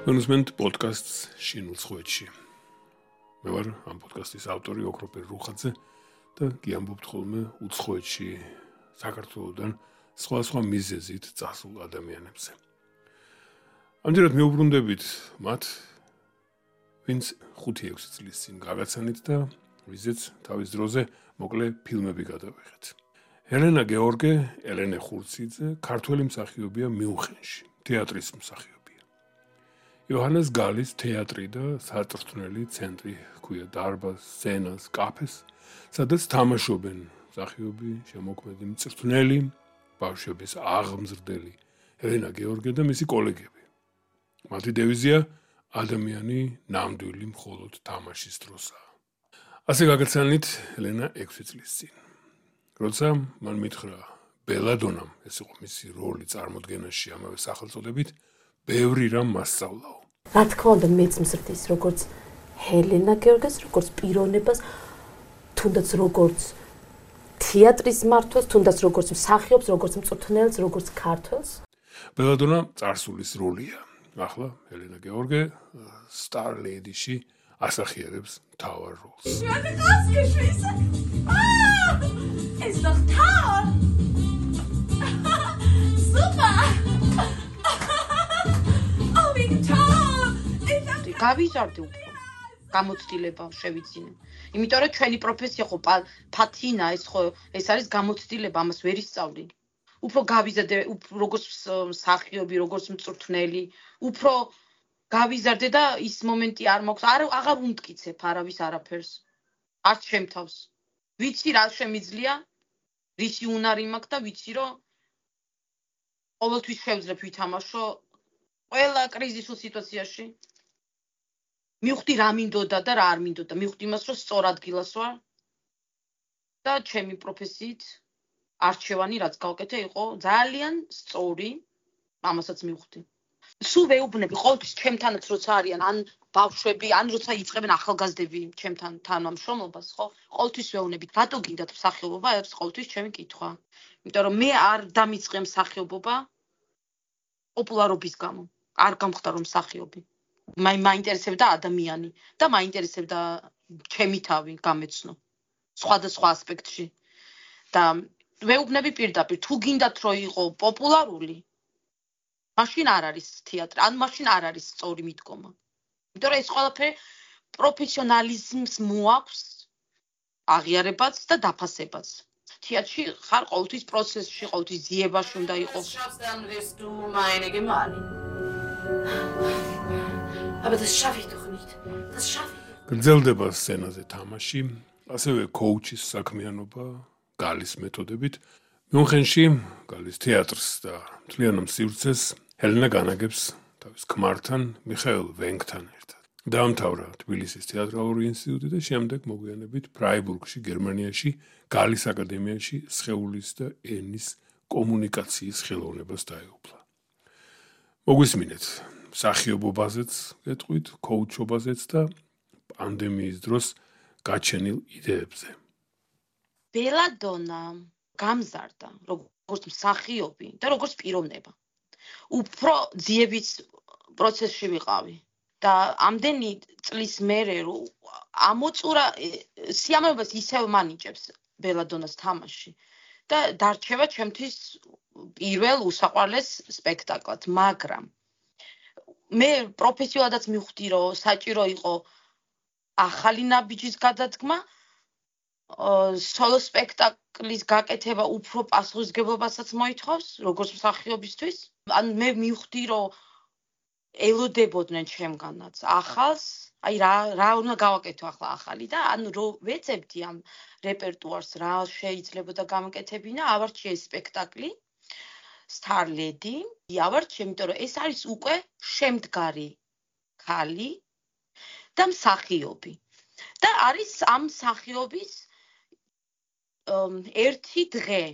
Management podcasts შინუცხვეთში. მე ვარ ამ პოდკასტის ავტორი ოქროპერ რუხაძე და გიამბობთ ხოლმე უცხოეთში საქართველოსთან სხვა მიზეზით წასულ ადამიანებზე. ამჯერად მეუბრუნდებით მათ, ვინც 5-6 წლის წინ გაგაცანით და ვიზეც თავის დროზე მოკლე ფილმები გადავიღეთ. ელენა გეორგე, ელენე ხურციძე, ქართველი მსახიობია მიუნხენში, თეატრის მსახიობია. იოჰანეს გალის თეატრი და საწვრთნელი ცენტრი ჰქვია დარბაზს, სცენას, კაფეს, სადაც თამაშობენ მსახიობი, შემოქმედი, მწვრთნელი, ბავშვების აღმზრდელი ელენა გეორგე და მისი კოლეგები. მათი დევიზია ადამიანი ნამდვილი მხოლოდ თამაშის დროსაა. ასე გაგაცანით ელენა 6 წლის წინ. როცა მან მითხრა ბელადონამ, ეს იყო მისი როლი წარმოდგენაში ამავე სახელწოდებით, ბევრი რამ მასწავლაო. რა თქმა უნდა, მეც მსრდის როგორც ელენა გეორგეს, როგორც პიროვნებას, თუნდაც როგორც თეატრის მმართველს, თუნდაც როგორც მსახიობს, როგორც მწვრთნელს, როგორც ქართველს. ბელადონა წარსულის როლია. ახლა ელენა გეორგე Star Lady-ში ასახიერებს მთავარ როლს. Ist doch toll! Super! Oh, wie toll! გავიზარდე უფრო. გამოცდილება შევიძინე. იმიტომ რომ ჩვენი პროფესია ხო ფათინა, ეს არის გამოცდილება, ამას ვერ ისწავლი. უფრო გავიზარდე, როგორც მსახიობი, როგორც მწვრთნელი, უფრო გავიზარდე და ის მომენტი არ მაქვს, აღარ უმტკიცებ არავის არაფერს. არც შემთავს. ვიცი რა შემიძლია, რისი უნარი მაქვს და ვიცი რომ ყოველთვის შევძლებ ვითამაშო ყველა კრიზისულ სიტუაციაში. მივხვდი რა მინდოდა და რა არ მინდოდა. მივხვდი იმას, რომ სწორ ადგილას ვარ და ჩემი პროფესიით არჩევანი რაც გავკეთე იყო ძალიან სწორი, ამასაც მივხვდი. სულ ვეუბნები ყოველთვის ჩემთანაც როცა არიან ან ბავშვები, ან როცა იწყებენ ახალგაზრდები ჩემთან თანამშრომლობას, ხო? ყოველთვის ვეუბნები, რატო გინდათ მსახიობობა? ეს ყოველთვის ჩემი კითხვა. იმიტომ რომ მე არ დამიწყე მსახიობობა პოპულარობის გამო. არ გამხდარ რომ მსახიობი. მაინტერესებდა ადამიანი და მაინტერესებდა ჩემი თავი გამეცნო სხვადასხვა ასპექტში. და ვეუბნები პირდაპირ, თუ გინდათ რომ იყო პოპულარული, მაშინ არ არის თეატრი, ან მაშინ არ არის სწორი მიდგომა. იმიტომ რომ ეს ყველაფერი პროფესიონალიზმს მოაქვს აღიარებაც და დაფასებაც. თეატრში ხარ ყოველთვის პროცესში, ყოველთვის ძიებაში უნდა იყოს. Aber das schaffe ich doch nicht. Das schaffe ich doch. გრძელდება სცენაზე თამაში, ასევე კოუჩის საქმიანობა, გალის მეთოდებით. მიუნხენში გალის თეატრს და მთლიანად სივრცეს ელენა განაგებს თავის ქმართან, მიხაილ ვენგთან ერთად. დაამთავრა თბილისის თეატრალური ინსტიტუტი და შემდეგ მოგვიანებით ფრაიბურგში, გერმანიაში, გალის აკადემიაში სხეულის და ენის კომუნიკაციის ხელოვნებას დაეუფლა. მოგვისმინეთ მსახიობობაზეც გეტყვით, კოუჩობაზეც და პანდემიის დროს გაჩენილ იდეებზე. ბელადონა გამზარდა როგორც მსახიობი და როგორც პიროვნება. უფრო ძიების პროცესში ვიყავი და ამდენი წლის მერე რომ ამოწურა სიამოვნებას ისევ მანიჭებს ბელადონას თამაში და დარჩება ჩემთვის პირველ უსაყვარლეს სპექტაკლად, მაგრამ მე პროფესიულადაც მივხვდი რომ საჭირო იყო ახალი ნაბიჯის გადადგმა, სოლო სპექტაკლის გაკეთება უფრო პასუხისმგებლობასაც მოითხოვს, როგორც მსახიობისთვის. ან მე მივხვდი რომ ელოდებოდნენ ჩემგანაც ახალს, აი რა უნდა გავაკეთო ახლა ახალი და ანუ რო ვეძებდი ამ რეპერტუარს, რა შეიძლებოდა გამოკეთებინა, ავარჩიე სპექტაკლი Star Lady, ავარჩიე, იმიტომ რომ ეს არის უკვე შემდგარი ქალი და მსახიობი. და არის ამ მსახიობის ერთი დღე,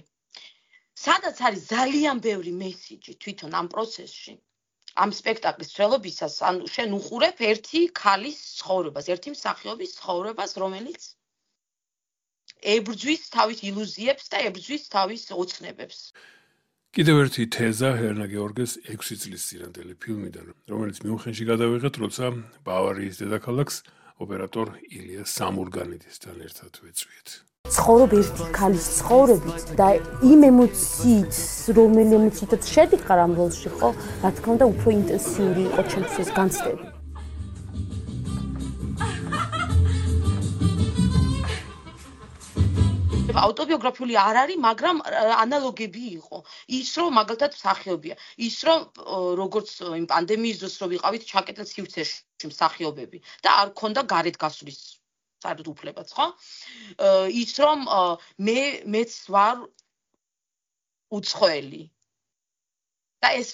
სადაც არის ძალიან ბევრი მესიჯი თვითონ ამ პროცესში. ამ სპექტაკლის მსვლელობისას, ანუ შენ უყურებ ერთი ქალის ცხოვრებას, ერთი მსახიობის ცხოვრებას, რომელიც ებრძვის თავის ილუზიებს და ებრძვის თავის ოცნებებს. კიდევ ერთი თეზა ჰელენა გეორგეს 6 წლის წინანდელი ფილმიდან, რომელიც მიუნხენში გადავიღეთ, როცა ბავარიის დედაქალაქს ოპერატორ ილია სამურგანიდისთან ერთად ვეწვიეთ. ცხოვრობ ერთი ქალის ცხოვრებით და იმ ემოციით, რომელი ემოციითაც შედიხარ ამ როლში, ხო, რა თქმა უნდა, უფრო ინტენსიური იყო ჩემთვის ეს განცდები. ავტობიოგრაფიული არ არის, მაგრამ ანალოგები იყო. ის რომ მაგალითად მსახიობია, ის რომ როგორც იმ პანდემიის დროს რო ვიყავით ჩაკეტილ სივრცეში მსახიობები და არ ქონდა გარეთ გასვლის საერთოდ უფლებაც, ხო? ის რომ მეც ვარ უცხოელი. და ეს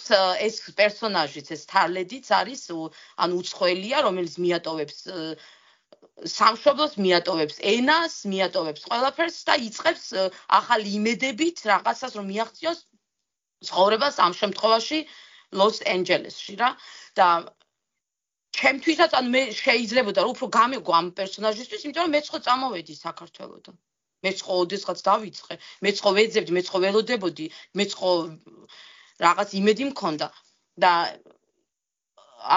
პერსონაჟიც, ეს თარლედიც არის ანუ უცხოელია, რომელიც მიატოვებს სამშობლოს, მიატოვებს ენას, მიატოვებს ყველაფერს და იწყებს ახალი იმედებით რაღაცას რომ მიაღწიოს ცხოვრებას ამ შემთხვევაში ლოს-ანჯელესში რა და ჩემთვისაც ანუ მე შეიძლებოდა რომ უფრო გამეგო ამ პერსონაჟისთვის, იმიტომ რომ მეც ხო წამოვედი საქართველოდან. მეც ხო ოდესღაც დავიწყე, მეც ხო ვეძებდი, მეც ხო ველოდებოდი, მეც ხო რაღაც იმედი მქონდა და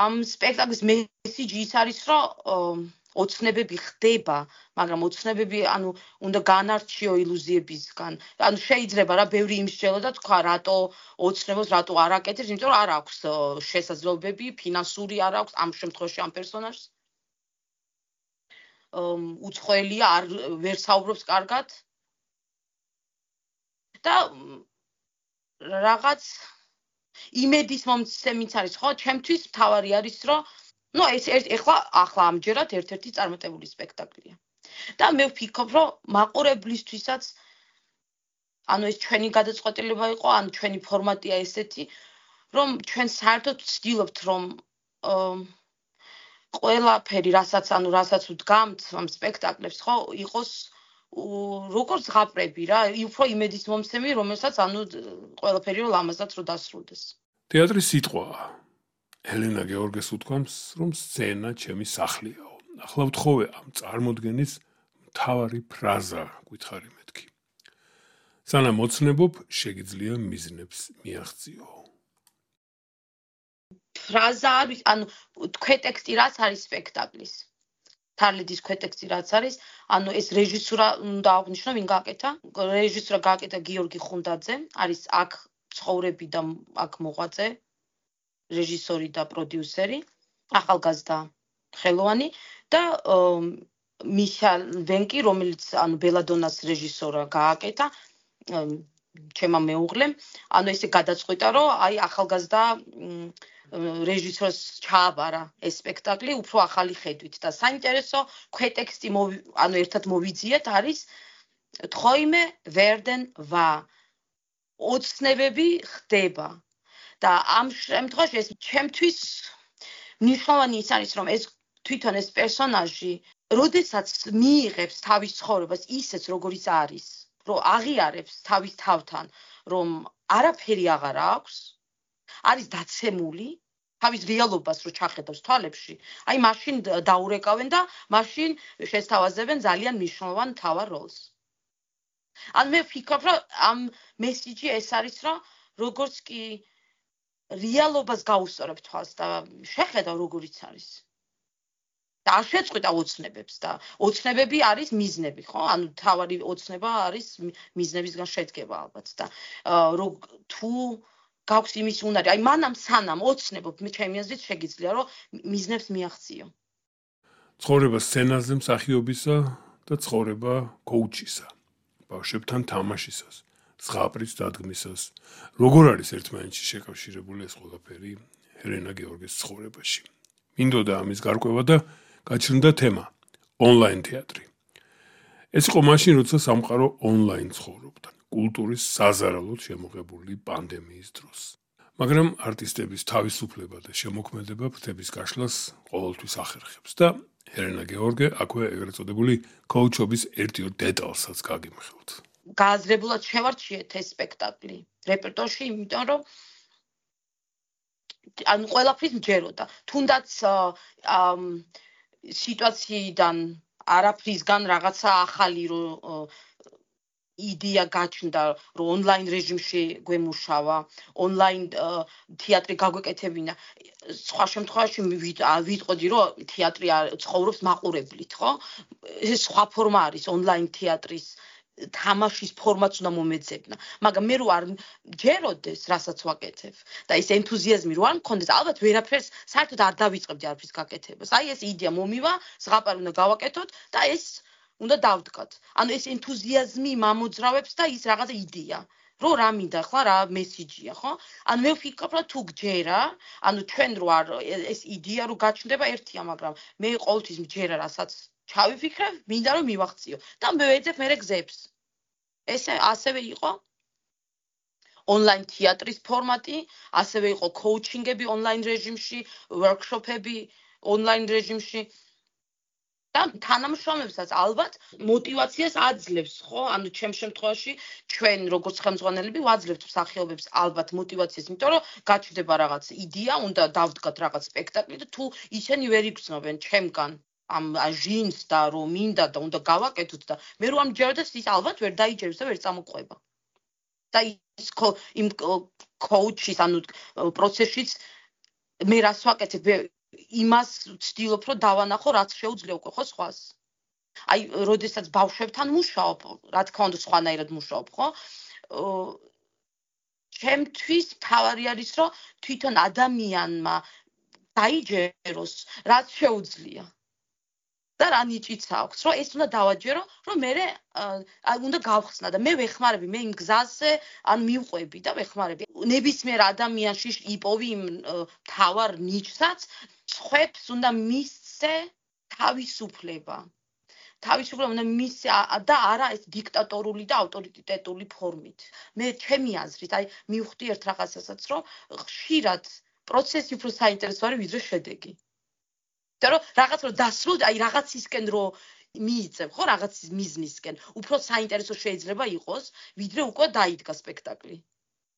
ამ სპექტაკლის მესიჯი ის არის რომ ოცნებები ხდება, მაგრამ ოცნებები ანუ უნდა განარჩიო ილუზიებისგან. ანუ შეიძლება რა ბევრი იმსჯელო და თქვა რატო ოცნებობს, რატო არ აკეთებს, იმიტომ რომ არ აქვს შესაძლებლობები, ფინანსური არ აქვს ამ შემთხვევაში ამ პერსონაჟს. უცხოელია, ვერ საუბრობს კარგად. და რაღაც იმედის მომცემიც არის, ხო? ჩემთვის მთავარი არის, რომ ეს ახლა ამჯერად ერთ-ერთი წარმატებული სპექტაკლია. და მე ვფიქრობ, რომ მაყურებლისთვისაც ანუ ეს ჩვენი გადაწყვეტილება იყო, ანუ ჩვენი ფორმატია ესეთი, რომ ჩვენ საერთოდ ვცდილობთ, რომ ყველაფერი, რასაც ვდგამთ ამ სპექტაკლებს, ხო, იყოს როგორც ღაპრები რა, უფრო იმედის მომცემი, რომელსაც ყველაფერი რომ ლამაზად რო დასრულდეს. თეატრის სიტყვაა. ჰელენა გეორგეს უთქვამს, რომ სცენა ჩემი სახლიაო. ახლა ვთხოვე ამ წარმოდგენის მთავარი ფრაზა, გითხარი მეთქი. სანამ ოცნებობ, შეგიძლია მიზნებს მიაღწიო. ფრაზა არის, ანუ ქვეტექსტი რაც არის სპექტაკლის. თარლედის ქვეტექსტი რაც არის, ეს რეჟისურა უნდა აღვნიშნო, ვინ გააკეთა? რეჟისურა გააკეთა გიორგი ხუნდაძე, არის აქ ცხოვრები და აქ მოღვაწე. რეჟისორი და პროდიუსერი, ახალგაზრდა ხელოვანი და მიშელ ვენკი, რომელიც ბელადონას რეჟისორა გააკეთა, ჩემმა მეუღლემ, ესე გადაწყვიტა, რომ ახალგაზრდა რეჟისორს ჩააბარა ეს სპექტაკლი უფრო ახალი ხედვით და საინტერესო ქვეტექსტი ერთად მოვიძიეთ არის თხოიმე ვერდენ ვა ოცნებები ხდება და ამ შემთხვევაში ეს ჩემთვის მნიშვნელოვანი ის არის რომ ეს თვითონ ეს პერსონაჟი როდესაც მიიღებს თავის ცხოვრებას ისეც როგორიც არის რომ აღიარებს თავის თავთან რომ არაფერი აღარ აქვს არის დაცემული თავის რეალობას რო ჩახედავს თვალებში, მაშინ დაურეკავენ და მაშინ შესთავაზებენ ძალიან მნიშვნელოვან მთავარ როლს. მე ვფიქრობ, რომ ამ მესიჯი ეს არის, რომ როგორც კი რეალობას გაუსწორებ თვალს და შეხედავ როგორიც არის. და არ შეწყვიტა ოცნებებს და ოცნებები არის მიზნები, ხო? თავარი ოცნება არის მიზნებისგან შედგება ალბათ და თუ გაქვს იმის უნარი, მანამ სანამ ოცნებობ, ჩემი აზრით შეგიძლია, რომ მიზნებს მიაღწიო. ცხოვრება სცენაზე მსახიობისა და ცხოვრება კოუჩისა, ბავშვებთან თამაშისას, ზღაპრის დადგმისას. როგორ არის ერთმანეთში შეკავშირებული ეს ყველაფერი ჰელენა გეორგეს ცხოვრებაში? მინდოდა ამის გარკვევა და გაჩნდა თემა ონლაინ თეატრი. ეს იყო მაშინ, როცა სამყარო ონლაინ ცხოვრობდა. კულტურის საზარალოდ შემოღებული პანდემიის დროს. მაგრამ არტისტების თავისუფლება და შემოქმედება ფრთების გაშლას ყოველთვის ახერხებს და ჰელენა გეორგე აქვე ეგრეთ წოდებული კოუჩობის ერთ-ორ დეტალსაც გაგიმხელთ. გააზრებულად შევარჩიეთ ეს სპექტაკლი რეპერტუარში, იმიტომ რომ ყველაფრის მჯეროდა. თუნდაც სიტუაციიდან არაფრისგან რაღაცა ახალი იდეა გაჩნდა, რომ ონლაინ რეჟიმში გვემუშავა, ონლაინ თეატრი გაგვეკეთებინა. სხვა შემთხვევაში ვიტყოდი, რომ თეატრი ცხოვრობს მაყურებლით, ხო? ეს სხვა ფორმა არის ონლაინ თეატრის თამაშის ფორმაც უნდა მომეძებნა. მაგრამ მე რო არ ჯეროდეს, რასაც ვაკეთებ და ეს ენთუზიაზმი რო არ მქონდეს, ალბათ ვერაფერს საერთოდ არ დავიწყებდი არაფრის გაკეთებას. აი ეს იდეა მომივა, ზღაპარი უნდა გავაკეთოთ და ეს უნდა დავდგათ. ანუ ეს ენთუზიაზმი მამოძრავებს და ის რაღაცა იდეა. რო რა მინდა ხლა რა მესიჯია, ხო? ანუ მე ვფიქრობ, რომ თუ გჯერა, ანუ ჩვენ რო არ ეს იდეა რო გაჩნდება ერთია, მაგრამ მე ყოველთვის მჯერა, რასაც ჩავიფიქრებ, მინდა რომ მივახციო და მე ვეძებ მერე გზებს. ესე ასევე იყო ონლაინ თეატრის ფორმატი, ასევე იყო კოუჩინგები ონლაინ რეჟიმში, ვორქშოპები ონლაინ რეჟიმში. და თანამშრომლებსაც ალბათ мотивაციას აძლევს, ხო? ანუ ჩემ შემთხვევაში ჩვენ როგორც ხელმძღვანელები ვაძლევთ მსახიობებს ალბათ мотивაციას, იმიტომ რომ გაჩნდება რაღაც იდეა, უნდა დავდგათ რაღაც სპექტაკლი და თუ ისინი ვერ იგრძნობენ ჩემგან ამ ჟინს და რომ მინდა და უნდა გავაკეთოთ და მე რო ამჯეროდეს ის ალბათ ვერ დაიჯერებს და ვერ წამოყვება. და ის იმ კოუჩის, ანუ პროცესშიც მე რას ვაკეთებ, იმას ვცდილობ, რომ დავანახო, რაც შეუძლია უკვე ხო სხვას. აი, როდესაც ბავშვებთან მუშაობ, რა თქმა უნდა, სხვანაირად მუშაობ, ხო? ჩემთვის მთავარი არის, რომ თვითონ ადამიანმა დაიჯეროს, რაც შეუძლია. და რა ნიჭიც აქვს, რომ ეს უნდა დავაჯერო, რომ მე უნდა გავხსნა და მე ვეხმარები, მე იმ გზაზე ან მივყვები და ვეხმარები. ნებისმიერ ადამიანში იპოვი იმ თავარ ნიჭსაც, სხვებს უნდა მისცე თავისუფლება. თავისუფლება უნდა მისცე და არა ეს დიქტატორული და ავტორიტეტული ფორმით. მე ჩემი აზრით, აი მივხვდი ერთ რაღაცასაც, რომ ხშირად პროცესი უფრო საინტერესო არის, ვიდრე შედეგი. და რომ რაღაც რო დასრულდა, აი რაღაცისკენ რო მიიწევ, ხო, რაღაცის მიზნისკენ, უფრო საინტერესო შეიძლება იყოს, ვიდრე უკვე დაიდგა სპექტაკლი.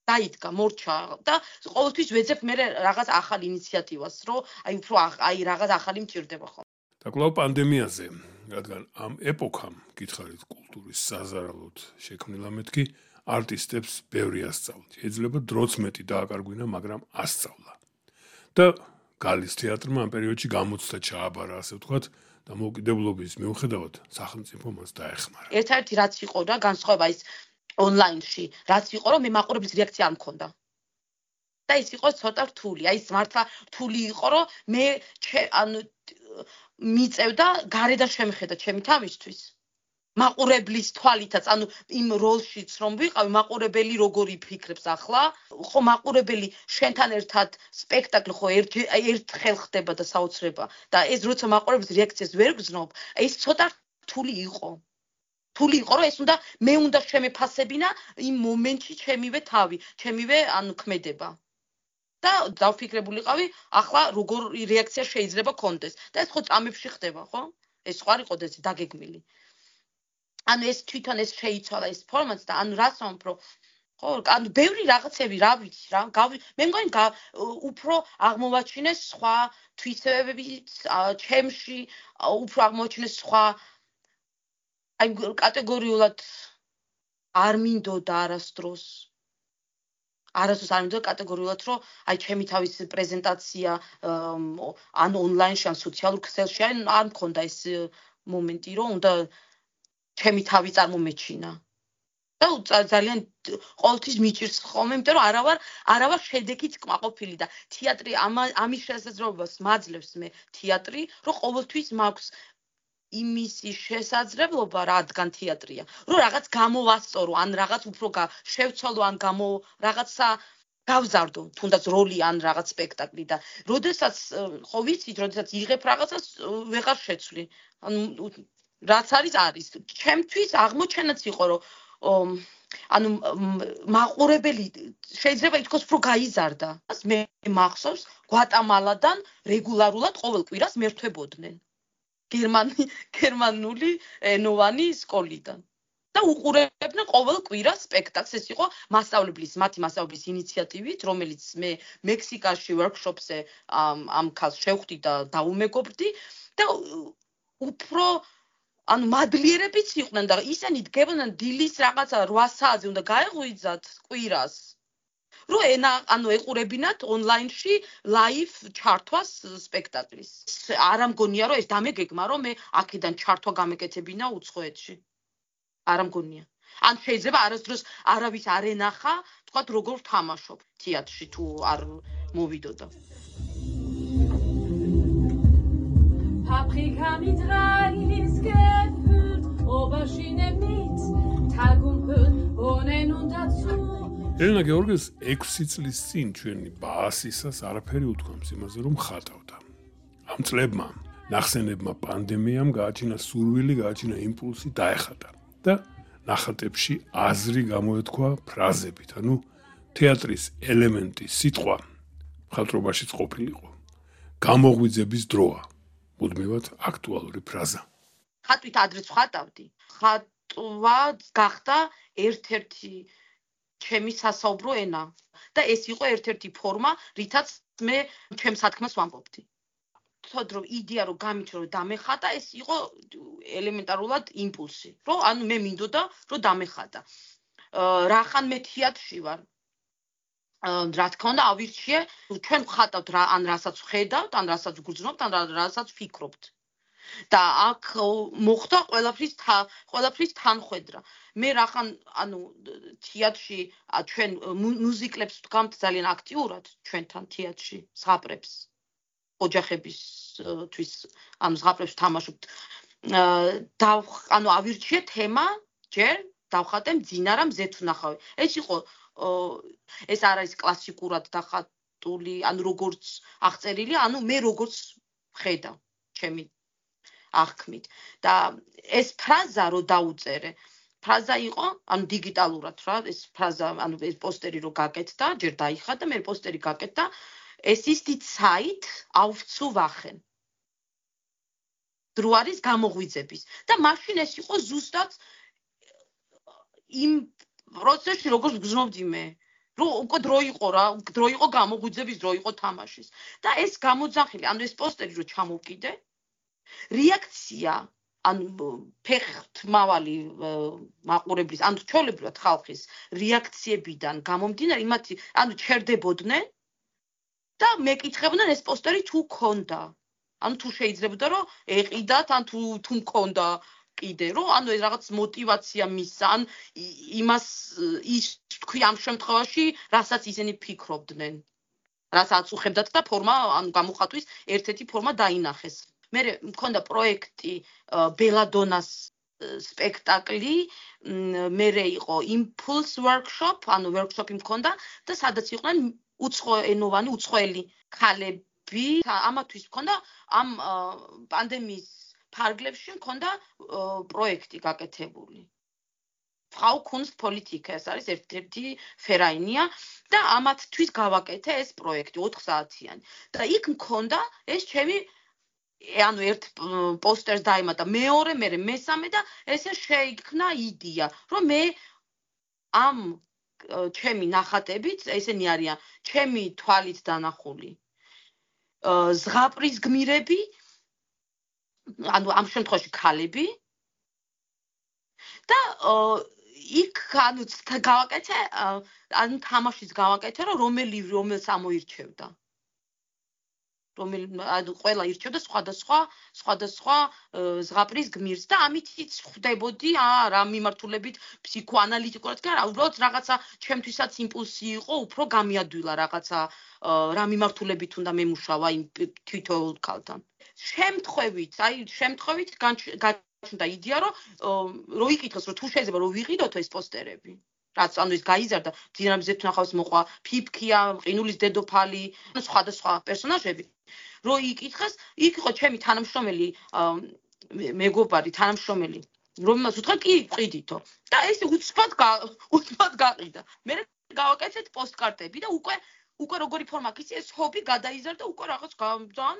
დაიდგა, მორჩა და ყოველთვის ვეძებ მე რაღაც ახალ ინიციატივას, რომ აი უფრო აი რაღაც ახალი მჭირდება ხო. და კვლავ პანდემიაზე, რადგან ამ ეპოქამ გითხარით კულტურის საზარალოდ შექმნილა მეთქი, არტისტებს ბევრი ასწავლეთ. შეიძლება დროც მეტი დააკარგვინა, მაგრამ ასწავლა. და გალის თეატრმა ამ პერიოდში გამოცდა ჩააბარა, ასე ვთქვათ, და მოკიდებულობის მიუხედავად სახელმწიფო მას დაეხმარა. ერთ-ერთი რაც იყო და განსხვავება ის ონლაინში, რაც იყო, რომ მე მაყურებლის რეაქცია არ მქონდა. და ის იყო ცოტა რთული, აი ეს მართლა რთული იყო, რომ მე ანუ მიწევდა გარედან შემხედა ჩემი თავისთვის. მაყურებლის თვალითაც, ანუ იმ როლშიც რომ ვიყავი, მაყურებელი როგორ იფიქრებს ახლა, ხო მაყურებელი შენთან ერთად სპექტაკლი ხო ერთხელ ხდება და საოცრება და ეს როცა მაყურებლის რეაქციას ვერ გრძნობ, ეს ცოტა რთული იყო. რთული იყო, რომ ეს მე უნდა შემეფასებინა იმ მომენტში ჩემივე თავი, ჩემივე ანუ ქმედება. და დავფიქრებულიყავი, ახლა როგორ რეაქცია შეიძლება კონდეს. და ეს ხო წამებში ხდება, ხო? ეს ხო არ იყო ეს დაგეგმილი. ანუ ეს თვითონ ეს შეიცვალა ეს ფორმატს და ანუ რას ვამბობ, ხო, ანუ ბევრი რაღაცები რა ვიცი რა, მე მგონი უფრო აღმოვაჩინეს სხვა თვისებებიც ჩემში, უფრო აღმოვაჩინეს სხვა აი კატეგორიულად არ მინდოდა არასდროს არ მინდოდა კატეგორიულად, რომ აი ჩემი თავის პრეზენტაცია ან ონლაინში ან სოციალურ ქსელში არ მქონდა ეს მომენტი, რომ უნდა ჩემი თავი წარმომეჩინა. და ძალიან ყოველთვის მიჭირს ხოლმე, იმიტომ რომ არავარ შედეგით კმაყოფილი და თეატრი ამის შესაძლებლობას მაძლევს მე თეატრი, რომ ყოველთვის მაქვს იმისი შესაძლებლობა, რადგან თეატრია, რომ რაღაც გამოვასწორო, ან რაღაც უფრო შევცვალო, ან რაღაცა გავზარდო, თუნდაც როლი ან რაღაც სპექტაკლი და როდესაც ხო ვიცით, როდესაც იღებ რაღაცას ვეღარ შეცვლი. რაც არის. ჩემთვის აღმოჩენაც იყო, რომ ანუ მაყურებელი შეიძლება ითქვას, რომ გაიზარდა. მე მახსოვს, გვატამალადან რეგულარულად ყოველ კვირას მერთვებოდნენ. გერმანული ენოვანი სკოლიდან. და უყურებდნენ ყოველ კვირას სპექტაკლს. ეს იყო მათი მასწავლებლის ინიციატივით, რომელიც მე მექსიკაში ვორქშოპზე ამ ქალს შევხვდი და დაუმეგობრდი და უფრო ანუ მადლიერებიც იყვნენ და ისინი დგებოდნენ დილის რაღაცა 8 საათზე უნდა გაეღვიძათ კვირას. რომ ანუ ეყურებინათ ონლაინში ლაივ ჩართვას სპექტაკლის. არ ამგონია რომ ეს დამეგეგმა რომ მე აქედან ჩართვა გამეკეთებინა უცხოეთში. არ ამგონია. ან შეიძლება არასდროს არავის არ ენახა, თქვათ როგორ თამაშობ თეატრში თუ არ მოვიდოდა. Paprika mit Reis gefüllt, Aubergine mit Tagumhüll, Bohnen und dazu. ელენა გეორგეს 6 წლის წინ ჩვენი ბაასისას არაფერი უთქვამს იმაზე რომ ხატავდა. ამ წლებმა ნახსენებმა პანდემიამ გააჩინა სურვილი, გააჩინა იმპულსი დაეხატა და ნახატებში აზრი გამოეთქვა ფრაზებით, ანუ თეატრის ელემენტი სიტყვა მხატვრობაშიც ყოფილიყო. გამოღვიძების დროა. მუდმივად აქტუალური ფრაზა. ხატვით ადრეც ხატავდი. ხატვა გახდა ერთ-ერთი ჩემი სასაუბრო ენა და ეს იყო ერთ-ერთი ფორმა, რითაც მე ჩემს სათქმას ვამბობდი. თქო რომ იდეა რომ გამიჩნდა რომ დამეხატა, ეს იყო ელემენტარულად იმპულსი, რომ ანუ მე მინდოდა რომ დამეხატა. რახან მე თეატრში ვარ. რა თქმა უნდა ავირჩიე, ჩვენ ვხატავთ ან რასაც ვხედავთ, ან რასაც გვგრძნობთ, ან რასაც ვფიქრობთ. და აქ მოხდა ყველაფრის თანხვედრა. მე რახან ანუ თეატრში ჩვენ მუსიკლებს ვდგამთ ძალიან აქტიურად ჩვენთან თეატრში ზღაპრებს ოჯახებისთვის ანუ ზღაპრებს თამაშობთ. ანუ ავირჩიე თემა ჯერ დავხატე მძინარა მზეთ ვნახავი. ეს იყო ეს არ არის კლასიკურად დახატული, ანუ როგორც აღწერილი, ანუ მე როგორც ვხედავ ჩემი აღქმით. და ეს ფრაზა რო დაუწერე, ფრაზა იყო, ანუ დიგიტალურად რა, ეს ფრაზა, ანუ ეს პოსტერი რო გაკეთდა, ჯერ დაიხატა, მე პოსტერი გაკეთდა, es ist die Zeit aufzuwachen. დრო არის გამოღვიძების. და მაშინ ეს იყო ზუსტად იმ პროცესში როგორც გრძნობდი მე. რომ უკვე დრო იყო რა, დრო იყო გამოღვიძების, დრო იყო თამაშის. და ეს გამოძახილი, ანუ ეს პოსტერი რო ჩამოვკიდე, რეაქცია, ანუ ფეხთმავალი მაყურებლის, ანუ ჩვეულებრივად ხალხის რეაქციებიდან გამომდინარე, იმათი, ანუ ჩერდებოდნენ და მეკითხებდნენ ეს პოსტერი თუ ქონდა. ანუ თუ შეიძლებოდა რომ ეყიდათ, ან თუ მქონდა კიდე, რომ ანუ ეს რაღაც мотиваცია მისცა, ან იმას ის თქვი ამ შემთხვევაში, რასაც ისინი ფიქრობდნენ. რასაც უხებდათ და ფორმა, ანუ გამოხატვის ერთ-ერთი ფორმა დაინახეს. მე მქონდა პროექტი ბელადონას სპექტაკლი, მე იყო impulse workshop, ანუ workshop-ი მქონდა და სადაც იყვნენ უცხოენოვანი, უცხოელი ქალები. ამათვის მქონდა ამ პანდემიის ფარგლებში მქონდა პროექტი გაკეთებული. Frau Kunstpolitik ეს არის ერთ-ერთი ფერაინია და ამათთვის გავაკეთე ეს პროექტი 4 საათიანი. და იქ მქონდა ეს ჩემი ანუ ერთ პოსტერს დაემატა მეორე, მე მესამე და ესე შეიქმნა იდეა, რომ მე ამ ჩემი ნახატებით, ესენი არიან ჩემი თვალით დანახული ზღაპრის გმირები, ანუ ამ შემთხვევაში ქალები და იქ ანუ გავაკეთე, ანუ თამაშიც გავაკეთე, რომ რომელს ამოირჩევდა. ანუ ყველა ირჩევდა სხვადასხვა ზღაპრის გმირს და ამითიც ხვდებოდი რა მიმართულებით ფსიქოანალიტიკურად კი არა, უბრალოდ რაღაცა ჩემთვისაც იმპულსი იყო, უფრო გამიადვილა რაღაცა რა მიმართულებით უნდა მემუშავა იმ თითოეულ ქალთან. შემთხვევით გაჩნდა იდეა, რომ იკითხეს, რომ თუ შეიძლება რომ ვიყიდოთო ეს პოსტერები. რაც ანუ ის გაიზარდა, ძინამზეთ ნახავს მოყვა, ფიფქია, ყინულის დედოფალი, ანუ სხვადასხვა პერსონაჟები. რო იკითხეს, იქ იყო ჩემი თანამშრომელი, მეგობარი თანამშრომელი, რომელმაც უთხრა, კი, ყიდითო. და ეს უცბად გაყიდა. მე გავაკეთეთ პოსტკარტები და უკვე როგორი ფორმა აქვს, ეს ჰობი გადაიზარდა, უკვე რაღაც ძალიან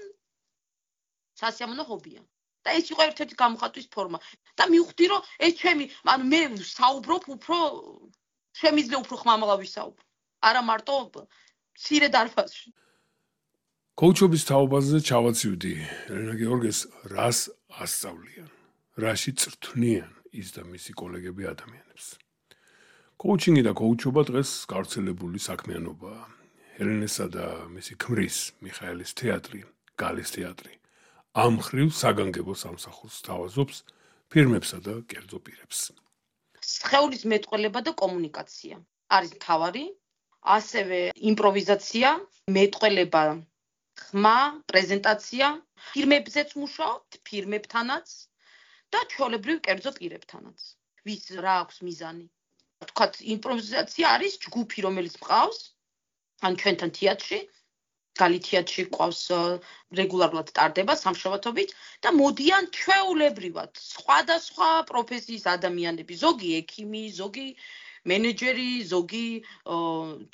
სასიამოვნო ჰობია. და ეს იყო ერთ-ერთი გამოხატვის ფორმა. და მივხვდი, რომ ეს ჩემი, ანუ მე საუბრობ უფრო შემიძლია უფრო ხმამაღლა ვისაუბრო. არა მარტო მცირე დარბაზში. კოუჩობის თაობაზე ჩავაცივდი ელენა გეორგეს რას ასწავლიან. რაში წრთვნიან ის და მისი კოლეგები ადამიანებს. კოუჩინგი და კოუჩობა დღეს გავრცელებული საქმიანობაა. ჰელენესა და მისი ქმრის მიხაელის თეატრი, გალის თეატრი ამ მხრივ საგანგებო სამსახურს თავაზობს ფირმებსა და კერძო პირებს. სხეულის მეტყველება და კომუნიკაცია არის მთავარი, ასევე იმპროვიზაცია, მეტყველება, ხმა, პრეზენტაცია, ფირმებზეც მუშაობთ, ფირმებთანაც და ჩვეულებრივ კერძო პირებთანაც. ვის რა აქვს მიზანი? თქვათ, იმპროვიზაცია არის ჯგუფი, რომელიც მყავს, ან ჩვენთან თეატრში, გალი თეატრში ყავს რეგულარულად ტარდება სამშაბათობით და მოდიან ჩვეულებრივად სხვადასხვა პროფესიის ადამიანები, ზოგი ექიმი, ზოგი მენეჯერი, ზოგი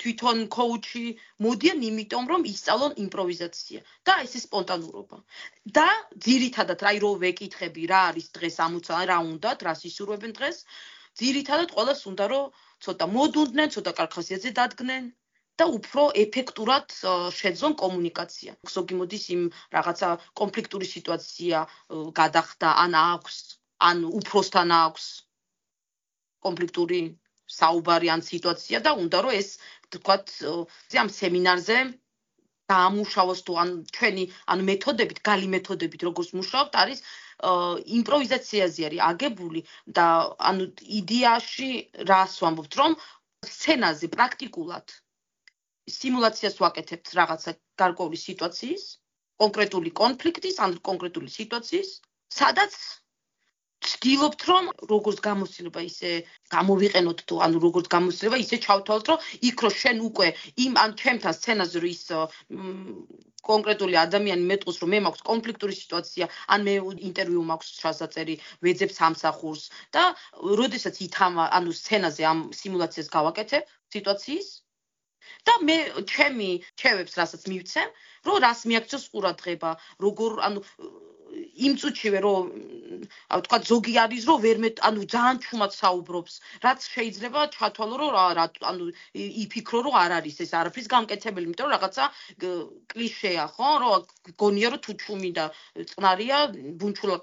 თვითონ კოუჩი, მოდიან იმიტომ, რომ ისწავლონ იმპროვიზაცია და ეს სპონტანურობა. და ძირითადად რაი რო ვეკითხები, რა არის დღეს ამოცა, რა უნდათ, რას ისურვებენ დღეს, ძირითადად ყველას უნდა რომ ცოტა მოდუნდნენ, ცოტა კარგ ხასიათზე დადგნენ და უფრო ეფექტურად შეძლონ კომუნიკაცია. ზოგი მოდის იმ რაღაცა კონფლიქტური სიტუაცია გადახდა, ან აქვს, ან უფროსთან აქვს კონფლიქტური საუბარი ან სიტუაცია და უნდა რომ ეს თქვათ ამ სემინარზე დაამუშავოს თუ ან ჩვენი ან მეთოდებით, გალი მეთოდებით როგორც მუშაობთ არის იმპროვიზაციაზე არის აგებული და ანუ იდეაში რას ვამბობთ რომ სცენაზე პრაქტიკულად სიმულაციას ვაკეთებთ რაღაცა გარკვეული სიტუაციის, კონკრეტული კონფლიქტის ან კონკრეტული სიტუაციის, სადაც ვცდილობთ რომ როგორც გამოცდილება ისე გამოვიყენოთ თუ ანუ როგორც გამოცდილება ისე ჩავთვალოთ რომ იქ რო შენ უკვე იმ ან ჩემთან სცენაზე რო ის კონკრეტული ადამიანი მეტყვის რომ მე მაქვს კონფლიქტური სიტუაცია ან მე ინტერვიუ მაქვს ჩასაწერი ვეძებ სამსახურს და როდესაც ითამა ანუ სცენაზე ამ სიმულაციას გავაკეთებ სიტუაციის და მე ჩემი ჩევებს რასაც მივცემ რომ რას მიაქცევს ყურადღება როგორ ანუ იმ წუთშივე რომ თქვა ზოგი არის რომ ვერ ანუ ძალიან ჩუმად საუბრობს რაც შეიძლება ჩათვალო რომ რა ანუ იფიქრო რომ არ არის ეს არაფრის გამკეთებელი იმიტომ რომ რაღაცა კლიშეა ხო რომ გონია რომ თუ ჩუმი და წყნარია ბუნჩულა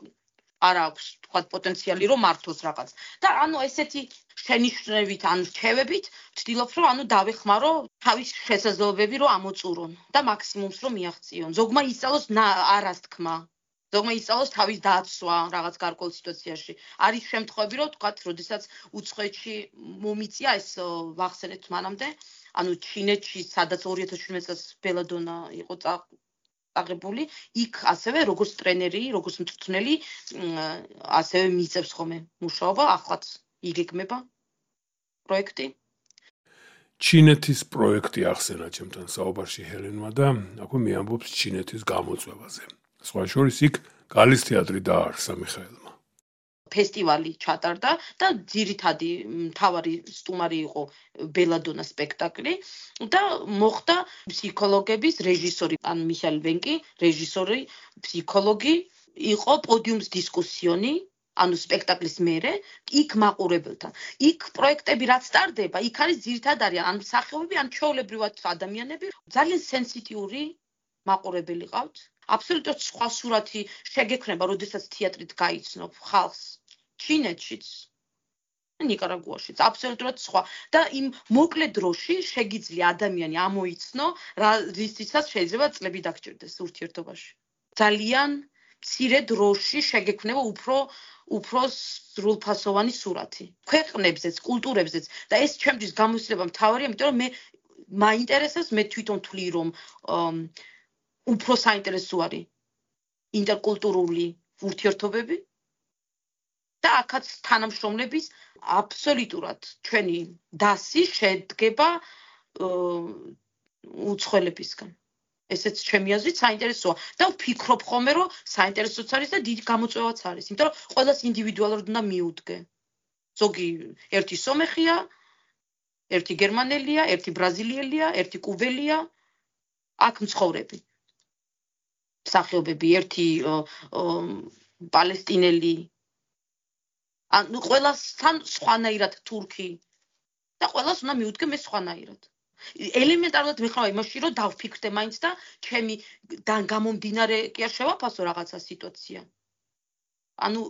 არ აქვს თქვა პოტენციალი რომ მართოს რაღაც და ანუ ესეთი შენიშვნებით ან რჩევებით ვცდილობ რომ ანუ დავეხმარო თავის შესაძლებლობები რომ ამოწურონ და მაქსიმუმს რომ მიაღწიონ ზოგმა ისწავლოს არას თქმა ზოგმა ისწავლოს თავის დაცვა რაღაც გარკვეულ სიტუაციაში. არის შემთხვევები, რომ თქვათ, როდესაც უცხოეთში მომიწია ეს ვახსენეთ მანამდე, ანუ ჩინეთში, სადაც 2017 წელს ბელადონა იყო წაღებული, იქ ასევე როგორც ტრენერი, როგორც მწვრთნელი, ასევე მიწევს ხოლმე მუშაობა, ახლაც იგეგმება პროექტი. ჩინეთის პროექტი ახსენა ჩემთან საუბარში ჰელენმა და აქვე მიამბობს ჩინეთის გამოწვევაზე. სხვა შორის იქ გალის თეატრი დაარსა მიხაელმა. ფესტივალი ჩატარდა და ძირითადი მთავარი სტუმარი იყო ბელადონა სპექტაკლი და მოხდა ფსიქოლოგების რეჟისორი ან მიხაელ ვენკი, რეჟისორი, ფსიქოლოგი იყო პოდიუმს დისკუსიონი ანუ სპექტაკლის მერე იქ მაყურებელთან. იქ პროექტები რაც ტარდება, იქ არის ძირითადად არის ან მსახიობები, ან ჩვეულებრივად ადამიანები, ძალიან სენსიტიური მაყურებელი ყავთ. აბსოლუტურად სხვა სურათი შეგექნება, როდესაც თეატრით გაიცნობ ხალხს. ჩინეთშიც, ნიკარაგუაშიც, აბსოლუტურად სხვა. და იმ მოკლე დროში შეგიძლია ადამიანი ამოიცნო, რისთვისაც შეიძლება წლები დაგჭირდეს ურთიერთობაში. ძალიან მცირე დროში შეგექნება უფრო სრულფასოვანი სურათი. ქვეყნებზეც, კულტურებზეც და ეს ჩემთვის გამოცდილება მთავარია, იმიტომ რომ მე მაინტერესებს, მე თვითონ თვლი რომ უფრო საინტერესო არის ინტერკულტურული ურთიერთობები და აქაც თანამშრომლების აბსოლუტურად ჩვენი დასი შედგება უცხოელებისგან. ესეც ჩემი აზრით საინტერესოა და ვფიქრობ ხოლმე რომ საინტერესოც არის და დიდი გამოწვევაც არის, იმიტომ რომ ყველას ინდივიდუალურად უნდა მიუდგე. ზოგი ერთი სომეხია, ერთი გერმანელია, ერთი ბრაზილიელია, ერთი კუბელია, აქ მცხოვრები. მსახიობები, ერთი პალესტინელი, ანუ ყველასთან სხვანაირად თურქი და ყველას უნდა მიუდგე მე სხვანაირად. ელემენტარულად მიხარ იმაში, რომ დავფიქრდე მაინც და ჩემი გამომდინარე კი არ შევაფასო რაღაცა სიტუაცია. ანუ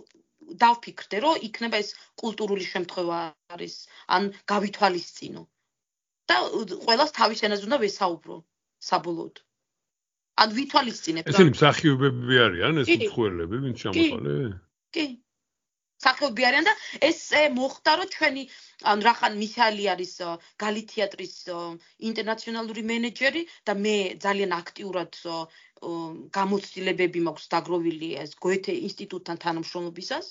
დავფიქრდე, რომ იქნება ეს კულტურული შემთხვევა არის, ან გავითვალისწინო. და ყველას თავის ენაზე უნდა ვესაუბრო საბოლოოდ. ან ვითვალისწინებ რა. ესენი მსახიობები არიან ეს უცხოელები, ვინც ჩამოყალე? კი. მსახიობები არიან და ეს მოხდა, რომ ჩვენი ანუ რახან მისალი არის გალი თეატრის ინტერნაციონალური მენეჯერი და მე ძალიან აქტიურად გამოცდილებები მაქვს დაგროვილი ეს გოეთე ინსტიტუტთან თანამშრომლობისას.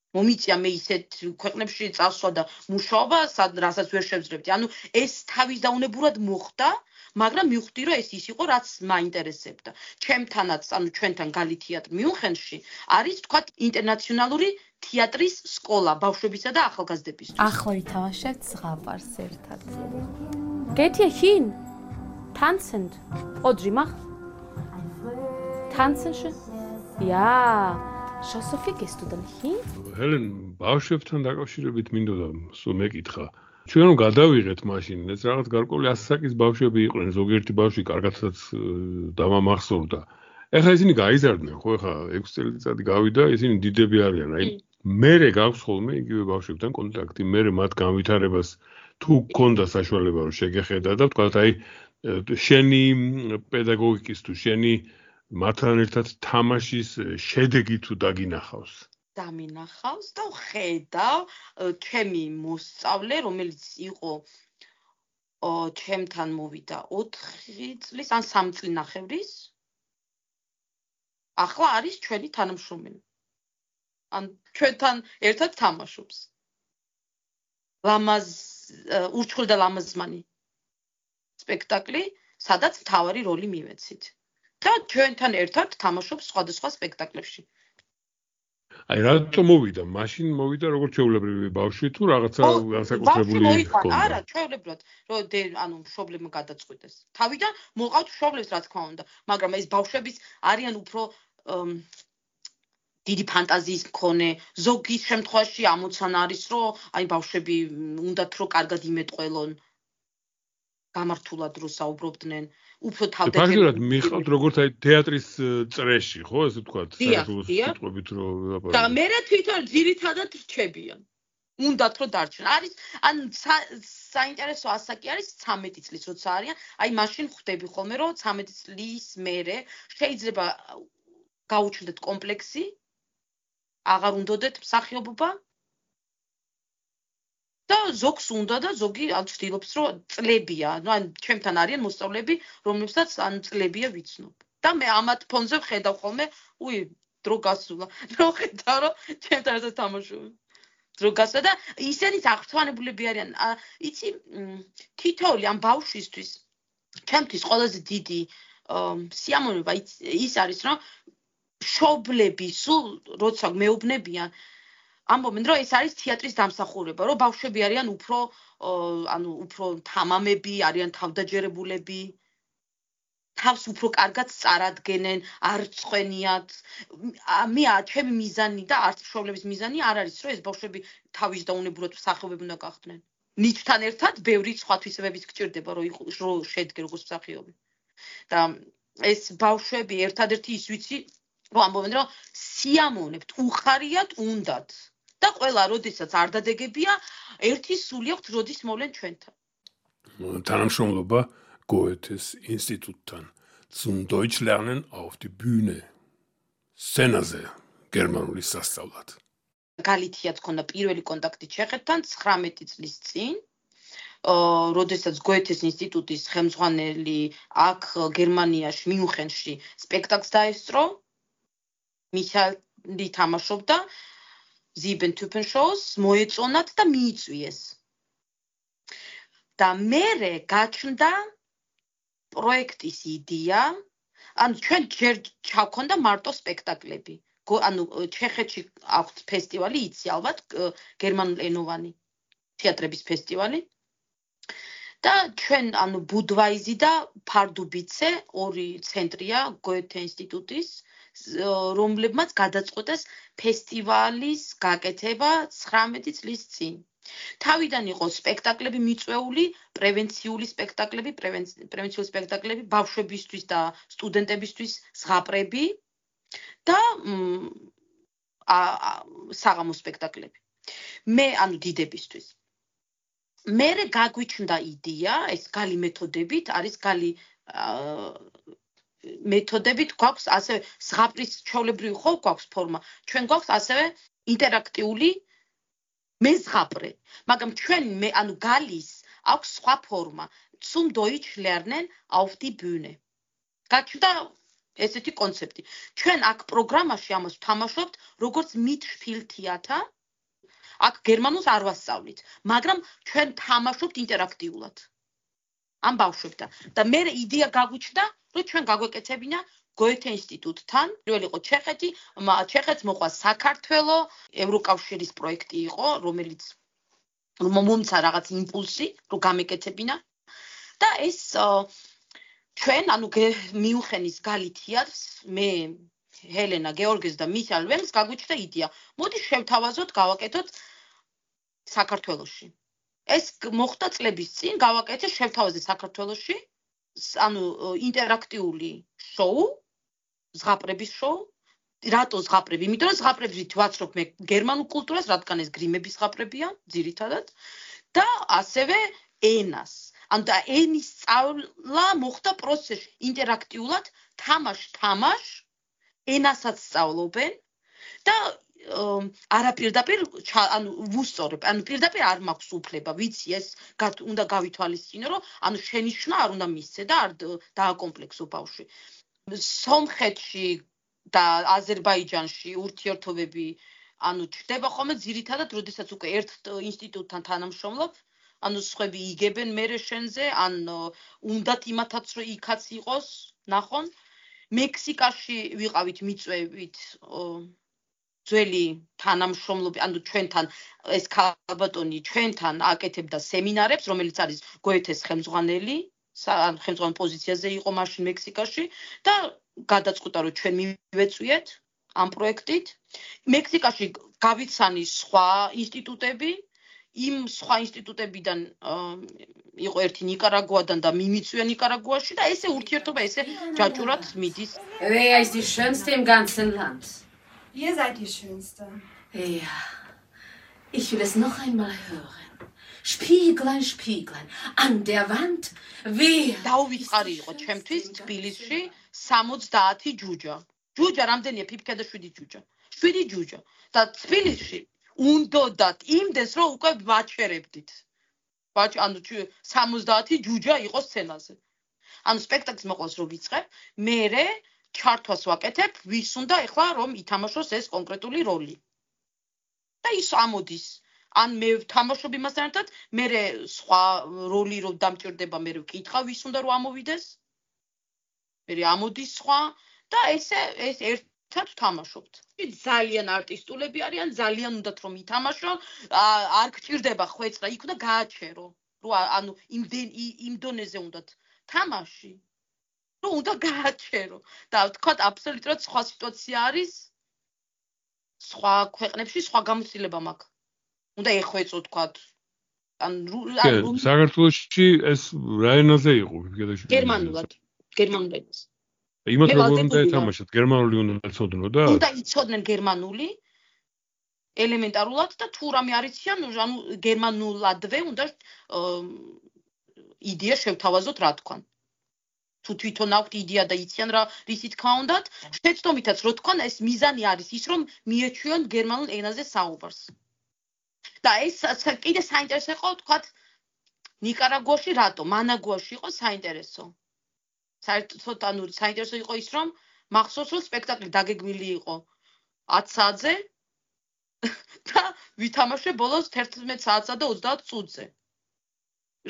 მომიწია მე ისეთ ქვეყნებში წასვლა და მუშაობა, რასაც ვერ შევძლებდი. ანუ ეს თავის დაუნებურად მოხდა, მაგრამ მივხვდი, რომ ეს ის იყო, რაც მაინტერესებდა. ჩემთანაც, ანუ ჩვენთან გალი თეატრი მიუნხენში არის, თქვათ, ინტერნაციონალური თეატრის სკოლა ბავშვებისა და ახალგაზრდებისთვის. ახლა ვითამაშებთ ზღაპარს ერთად. Geht ihr hin? Tanzend. Odri mach. Tanzen schön? Ja. Schaust du viel gehst du dann hin? Helen, ბავშვებთან დაკავშირებით მინდოდა სულ მეკითხა. ჩვენ რომ გადავიღეთ მაშინ, ეს რაღაც გარკვეული ასაკის ბავშვები იყვნენ, ზოგიერთი ბავშვი კარგადაც დამამახსოვრდა. ეხლა ისინი გაიზარდნენ, ხო, ეხლა 6 წელიწადი გავიდა, ისინი დიდები არიან. აი, მერე გაქვს ხოლმე იგივე ბავშვებთან კონტაქტი, მერე მათ განვითარებას თუ გქონდა საშუალება რომ შეგეხედა და ვთქვათ, აი, შენი პედაგოგიკის თუ შენი მათთან ერთად თამაშის შედეგი თუ დაგინახავს. დამინახავს და ხედავ ჩემი მოსწავლე, რომელიც იყო ჩემთან მოვიდა 4 წლის ან 3 წლინახევრის. ახლა არის ჩვენი თანამშრომელი. ან ჩვენთან ერთად თამაშობს. ურჩხული და ლამაზმანი სპექტაკლი, სადაც მთავარი როლი მივეცით. და ჩვენთან ერთად თამაშობს სხვადასხვა სპექტაკლებში. აი რატომ მოვიდა? მაშინ მოვიდა როგორც ჩვეულებრივი ბავშვი თუ რაღაცა განსაკუთრებული ჰქონდა? არა, ჩვეულებრივად, რომ ანუ მშობლებმა გადაწყვიტეს. თავიდან მოყავთ მშობლებს რა თქმა უნდა, მაგრამ ეს ბავშვების არიან უფრო დიდი ფანტაზიის მქონე, ზოგის შემთხვევაში ამოცანა არის, რომ აი ბავშვები უნდათ რომ კარგად იმეტყველონ, გამართულად რო საუბრობდნენ, უფრო თავდადებული. ფაქტობრივად მიყავთ როგორც აი თეატრის წრეში, ხო, ესე ვთქვათ, საერთოდ სიტყვებით რო ვილაპარაკო. და მე თვითონ ძირითადად რჩებიან. უნდათ რომ დარჩენ. არის ან საინტერესო ასაკი არის 13 წლის როცა არიან, აი მაშინ ხვდები ხოლმე რომ 13 წლის მერე შეიძლება გაუჩნდეთ კომპლექსი, აღარ უნდოდეთ მსახიობობა და ზოგს უნდა და ზოგი ცდილობს რომ წლებია, ანუ ჩემთან არიან მოსწავლეები, რომლებსაც ან წლებია ვიცნობ. და მე ამათ ფონზე ვხედავ ხოლმე, დრო გასულა, რო ხედავ რომ ჩემთან ერთად თამაშობენ. დრო გასულა და ისინიც აღფრთოვანებულები არიან. იცი, თითოეული ამ ბავშვისთვის ჩემთვის ყველაზე დიდი სიამოვნება ის არის, რომ მშობლები სულ როცა მეუბნებიან ამბობენ რომ ეს არის თეატრის დამსახურება, რომ ბავშვები არიან უფრო თამამები, არიან თავდაჯერებულები, თავს უფრო კარგად წარადგენენ, არ წვენიათ. ჩემი მიზანი და არც მშობლების მიზანი არ არის, რომ ეს ბავშვები თავის დაუნებურად მსახიობები უნდა გახდნენ. ნიჭთან ერთად ბევრი სხვა თვისებებიც გჭირდება, რომ შედგე როგორც მსახიობი. და ეს ბავშვები ერთადერთი ის ვიცი, რომ ამბობენ რომ სიამოვნებთ, უხარიათ, უნდათ. და ყველა როდესაც არ დადეგებია, ერთი სული აქვს, როდის მოვლენ ჩვენთან. თანამშრომლობა Goethes Institutთან. Zum Deutsch lernen auf die Bühne. სცენაზე გერმანული სასწავლად. გალითიაც ქონდა პირველი კონტაქტი ჩეხეთთან 19 წლის წინ. როდესაც Goethes ინსტიტუტის ხელმძღვანელი აქ გერმანიაში მიუნხენში სპექტაკლს დაესწრო. მიხაილი თამაშობდა Sieben Typen Shows, მოეწონათ და მიიწვიეს. და მერე გაჩნდა პროექტის იდეა, ანუ ჩვენ ჯერ ჩავქონდა მარტო სპექტაკლები. ანუ ჩეხეთში აქვს ფესტივალი, იცი ალბათ, გერმანულენოვანი თეატრების ფესტივალი. და ჩვენ ანუ ბუდვაიზი და ფარდუბიცე ორი ცენტრია Goethe ინსტიტუტის, რომლებმაც გადაწყვეტეს ფესტივალის გაკეთება 19 წლის წინ. თავიდან იყო სპექტაკლები მიწვეული, პრევენციული სპექტაკლები ბავშვებისთვის და სტუდენტებისთვის, ზღაპრები და საღამო სპექტაკლები. მე ანუ დიდებისთვის. მერე გაგვიჩნდა იდეა, ეს გალი მეთოდებით, არის გალი მეთოდებით გვაქვს ასევე ზღაპრის ჩვეულებრივი ხო გვაქვს ფორმა. ჩვენ გვაქვს ასევე ინტერაქტიული მეზღაპრე. მაგრამ ჩვენ ანუ გალის აქვს სხვა ფორმა. Zum Deutsch lernen auf die Bühne. გაჩნდა ესეთი კონცეფტი. ჩვენ აქ პროგრამაში ამას ვთამაშობთ, როგორც Mitspieltheater. აქ გერმანულს არ ვასწავლით, მაგრამ ჩვენ თამაშობთ ინტერაქტიულად. ამ ბავშვებთან. და მე იდეა გაგვიჩნდა, რომ ჩვენ გაგვეკეთებინა Goethe ინსტიტუტთან, პირველი იყო ჩეხეთი, ჩეხეთს მოყვა საქართველო, ევროკავშირის პროექტი იყო, რომელიც მომცა რაღაც იმპულსი, რომ გამეკეთებინა. და ეს ჩვენ ანუ მიუხენის გალი თეატრს, მე ჰელენა გეორგეს და მიხეილ ვენგს გაგვიჩნდა იდეა. მოდი შევთავაზოთ, გავაკეთოთ საქართველოში. ეს მოხდა წლების წინ, გავაკეთე შევთავაზეთ საქართველოში, ანუ ინტერაქტიული შოუ, ზღაპრების შოუ. რატო ზღაპრები? იმიტომ რომ ზღაპრებით ვაცნობ მე გერმანულ კულტურას, რადგან ეს გრიმების ზღაპრებია, ძირითადად, და ასევე ენას. ანუ და ენის სწავლა მოხდა პროცესში, ინტერაქტიულად, თამაშ, ენასაც სწავლობენ და არა პირდაპირ ანუ ვუსწორებ, ანუ პირდაპირ არ მაქვს უფლება, ვიცი ეს უნდა გავითვალისწინო, რომ ანუ შენიშვნა არ უნდა მისცე და არ დააკომპლექსო ბავშვი. სომხეთში და აზერბაიჯანში ურთიერთობები ანუ ჩდება ხოლმე ძირითადად, როდესაც უკვე ერთ ინსტიტუტთან თანამშრომლობ, ანუ სხვები იგებენ მერე შენზე, ან უნდათ იმათაც რომ იქაც იყოს, ნახონ. მექსიკაში ვიყავით მიწვევით ძველი თანამშრომლობი, ანუ ჩვენთან ეს ქალბატონი ჩვენთან აკეთებდა სემინარებს, რომელიც არის გოეთეს ხელმძღვანელი, ხელმძღვანელ პოზიციაზე იყო მაშინ მექსიკაში და გადაწყვიტა რომ ჩვენ მივეწვიეთ ამ პროექტით. მექსიკაში გავიცანი სხვა ინსტიტუტები, იმ სხვა ინსტიტუტებიდან იყო ერთი ნიკარაგუადან და მიმიწვია ნიკარაგუაში და ესე ურთიერთობა ესე ჯაჭურად მიდის. Wer ist die schönste im ganzen Land? Ihr seid die Schönste. Ja, ich will es noch einmal hören. Spieglein, Spieglein, an der Wand, wer? დაუვიწყარი იყო ჩემთვის თბილისში 70 ჯუჯა. ჯუჯა რამდენია? ფიფქა და 7 ჯუჯა. 7 ჯუჯა. და თბილისში უნდათ იმდეს რომ უკვე ვაჩერებდით. ანუ 70 ჯუჯა იყო სცენაზე. ანუ სპექტაკლს მოყავს რომ ვიწყებ, მერე ჩართვას ვაკეთებ, ვის უნდა ეხლა რომ ითამაშოს ეს კონკრეტული როლი. და ის ამოდის. ან მე ვთამაშობ იმასთან ერთად, მერე სხვა როლი რომ დამჭირდება, მერე ვკითხავ ვის უნდა რომ ამოვიდეს. მერე ამოდის სხვა და ესე ეს ერთად ვთამაშობთ. ძალიან არტისტულები არიან, ძალიან უნდათ რომ ითამაშონ, არ გჭირდება ხვეწრა, იქ უნდა გააჩერო. რომ ანუ იმ დონეზე უნდათ თამაში. რომ უნდა გააჩერო. და თქვა აბსოლუტურად სხვა სიტუაცია არის. სხვა ქვეყნებში სხვა გამოცდილება მაქვს. უნდა ეხვეწო თქვა. ანუ საქართველოში ეს რა ენაზე იყო? გერმანულად. გერმანულად. იმათ როგორ უნდა ეთამაშოთ? გერმანული უნდა იცოდნო და? უნდა იცოდნენ გერმანული ელემენტარულად და თუ რამე არ იციან, ანუ გერმანულადვე უნდა იდეა შევთავაზოთ რა თქვან. თუ თვითონ აქვთ იდეა და იციან რა რისი თქმა უნდათ, შეცდომითაც რო თქვან, ეს მიზანი არის ის, რომ მიეჩვიონ გერმანულ ენაზე საუბარს. და ეს კიდე საინტერესო იყო, თქვათ, ნიკარაგუაში რატო, მანაგუაში იყო საინტერესო. საერთოდ ანუ საინტერესო იყო ის, რომ მახსოვს, რომ სპექტაკლი დაგეგმილი იყო 10 საათზე და ვითამაშე ბოლოს 11 საათსა და 30 წუთზე.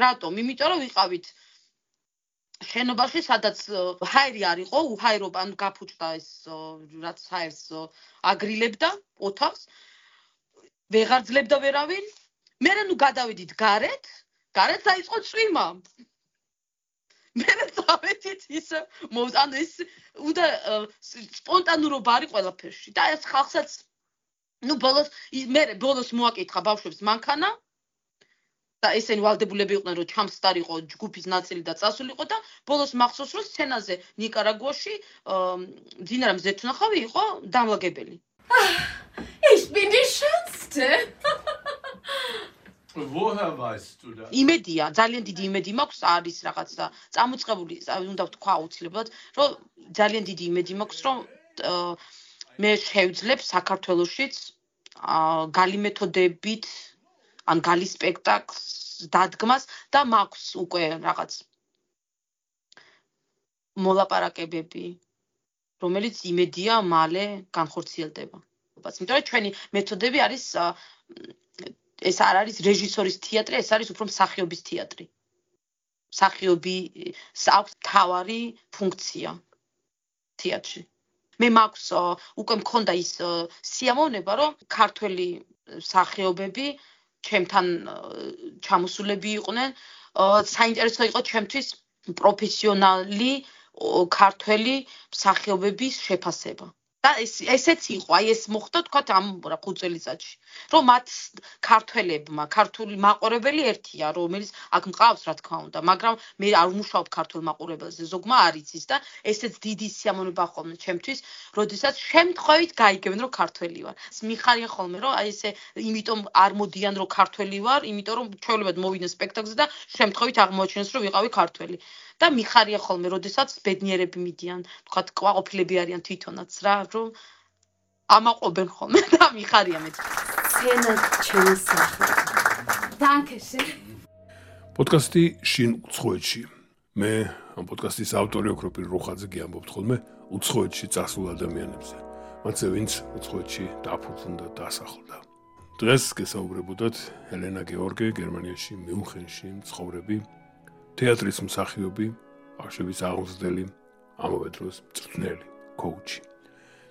რატომ? იმიტომ რომ ვიყავით შენობაში, სადაც ჰაერი არ იყო, უჰაერობა, ანუ გაფუჭდა ეს რაც ჰაერს აგრილებდა ოთახს. ვეღარ ძლებდა ვერავინ. მე ნუ გადავედით გარეთ დაიწყო წვიმა. მე დავედით ისე ანუ ეს უნდა სპონტანურობა არის ყველაფერში და ეს ხალხსაც ნუ ბოლოს მოაკითხა ბავშვებს მანქანა და ესენი ვალდებულები იყვნენ რომ ჩამსტარიყო ჯგუფის ნაწილი და წასულიყო და ბოლოს მახსოვს რომ სცენაზე ნიკარაგუაში მძინარ მზეთუნახავი იყო დამლაგებელი. bin die Schönste. Woher weißt du das? იმედია, ძალიან დიდი იმედი მაქვს არის რაღაცა წამოწყებული, უნდა ვთქვა აუცილებლად, რომ ძალიან დიდი იმედი მაქვს, რომ მე შევძლებ საქართველოშიც გალი მეთოდებით ან გალი სპექტაკლს დადგმას და მაქვს უკვე რაღაც მოლაპარაკებები, რომელიც იმედია მალე განხორციელდება. იმიტომ რომ ჩვენი მეთოდები არის ეს არ არის რეჟისორის თეატრი, ეს არის უფრო მსახიობის თეატრი. მსახიობი აქვს თავარი ფუნქცია თეატრში. მე მაქვს უკვე მქონდა ის სიამოვნება, რომ ქართველი მსახიობები ჩემთან ჩამოსულები იყვნენ, საინტერესო იყო ჩემთვის პროფესიონალი ქართველი მსახიობების შეფასება. და ესეც იყო, აი ეს მოხდა თქვა ამ 5 წელიწადში, რომ მათ ქართველებმა, ქართული მაყურებელი ერთია, რომელიც აქ მყავს, რა თქმა უნდა, მაგრამ მე არ ვმუშაობ ქართულ მაყურებელზე, ზოგმა არ იცის და ესეც დიდი სიამოვნება ხოლმე ჩემთვის, როდესაც შემთხვევით გაიგებენ, რომ ქართველი ვარ. მიხარია ხოლმე, რომ აი ესე იმიტომ არ მოდიან, რომ ქართველი ვარ, იმიტომ რომ ჩვეულებად მოვიდნენ სპექტაკლზე და შემთხვევით აღმოაჩინეს, რომ ვიყავი ქართველი. და მიხარია ხოლმე, როდესაც ბედნიერები მიდიან, თქვა კვაყოფილები არიან თვითონაც რა, რომ ამაყობენ ხოლმე და მიხარია მეც. სცენა ჩემი სახე. Dankeschön. პოდკასტი შინ უცხოეთში. მე ამ პოდკასტის ავტორი ოქროპირ რუხაძე გიამბობთ ხოლმე უცხოეთში წასულ ადამიანებზე. მათზე ვინც უცხოეთში დაფუძნდა და დასახლდა. დღეს გესაუბრებოდათ ელენა გეორგე გერმანიაში მიუნხენში მცხოვრები თეატრის მსახიობი, ბავშვების აღმზრდელი, ამავე დროს მწვრთნელი, კოუჩი.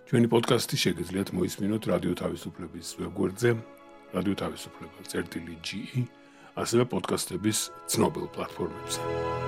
ჩვენი პოდკასტი შეგიძლიათ მოისმინოთ რადიო თავისუფლების ვებგვერდზე, რადიო თავისუფლება.ge, ასევე პოდკასტების ცნობილ პლატფორმებზე.